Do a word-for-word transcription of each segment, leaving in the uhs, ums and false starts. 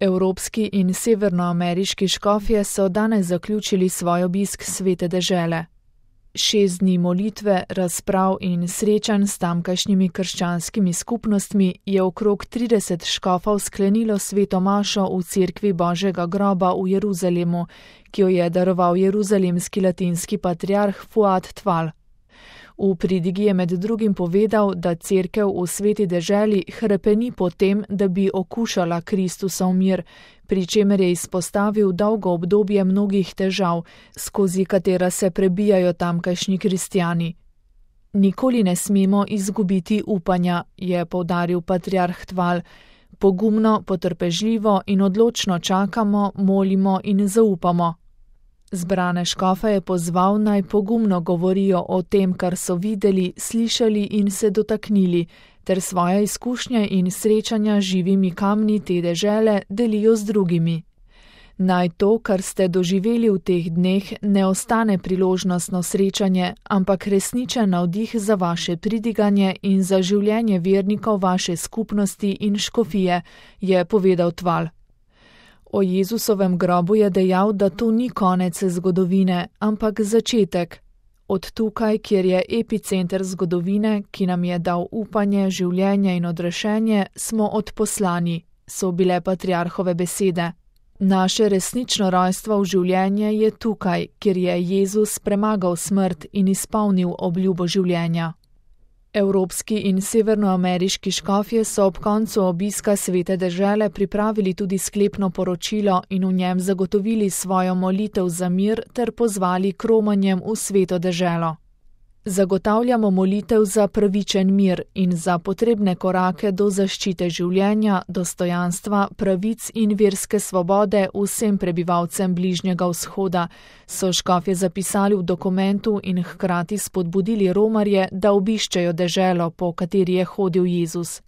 Evropski in severnoameriški škofje so danes zaključili svoj obisk svete dežele. Šest dni molitve, razprav in srečanj s tamkajšnjimi krščanskimi skupnostmi je okrog trideset škofov sklenilo sveto mašo v cerkvi Božjega groba v Jeruzalemu, ki jo je daroval jeruzalemski latinski patriarh Fuad Tval. V pridigi je med drugim povedal, da cerkev v sveti deželi hrepeni po tem, da bi okušala Kristusov mir, pri čemer je izpostavil dolgo obdobje mnogih težav, skozi katera se prebijajo tamkajšnji kristjani. Nikoli ne smemo izgubiti upanja, je poudaril patriarh Tval. Pogumno, potrpežljivo in odločno čakamo, molimo in zaupamo. Zbrane škofe je pozval, naj pogumno govorijo o tem, kar so videli, slišali in se dotaknili, ter svoje izkušnje in srečanja z živimi kamni te dežele delijo z drugimi. Naj to, kar ste doživeli v teh dneh, ne ostane priložnostno srečanje, ampak resničen navdih za vaše pridiganje in za življenje vernikov vaše skupnosti in škofije, je povedal Tval. O Jezusovem grobu je dejal, da to ni konec zgodovine, ampak začetek. Od tukaj, kjer je epicenter zgodovine, ki nam je dal upanje, življenje in odrešenje, smo odposlani, so bile patriarhove besede. Naše resnično rojstvo v življenje je tukaj, kjer je Jezus premagal smrt in izpolnil obljubo življenja. Evropski in severnoameriški škofje so ob koncu obiska svete dežele pripravili tudi sklepno poročilo in v njem zagotovili svojo molitev za mir ter pozvali k romanjem v sveto deželo. Zagotavljamo molitev za pravičen mir in za potrebne korake do zaščite življenja, dostojanstva, pravic in verske svobode vsem prebivalcem Bližnjega vzhoda, so škofje zapisali v dokumentu in hkrati spodbudili romarje, da obiščejo deželo, po kateri je hodil Jezus.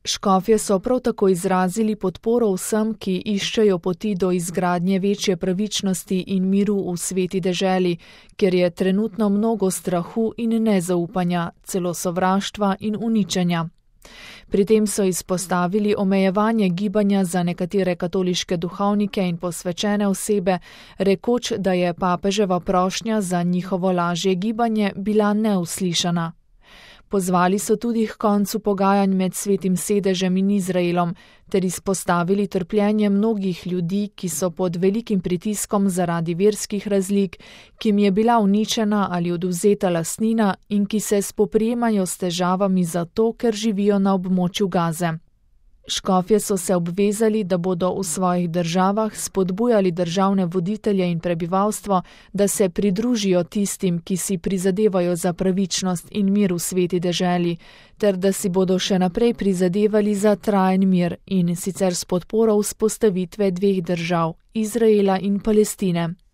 Škofje so prav tako izrazili podporo vsem, ki iščejo poti do izgradnje večje pravičnosti in miru v sveti deželi, ker je trenutno mnogo strahu in nezaupanja, celo sovraštva in uničenja. Pri tem so izpostavili omejevanje gibanja za nekatere katoliške duhovnike in posvečene osebe, rekoč, da je papeževa prošnja za njihovo lažje gibanje bila neuslišana. Pozvali so tudi k koncu pogajanj med Svetim sedežem in Izraelom, ter izpostavili trpljenje mnogih ljudi, ki so pod velikim pritiskom zaradi verskih razlik, ki jim je bila uničena ali odvzeta lastnina in ki se spoprijemajo s težavami zato, ker živijo na območju Gaze. Škofje so se obvezali, da bodo v svojih državah spodbujali državne voditelje in prebivalstvo, da se pridružijo tistim, ki si prizadevajo za pravičnost in mir v sveti deželi, ter da si bodo še naprej prizadevali za trajen mir in sicer s podporo vzpostavitve dveh držav, Izraela in Palestine.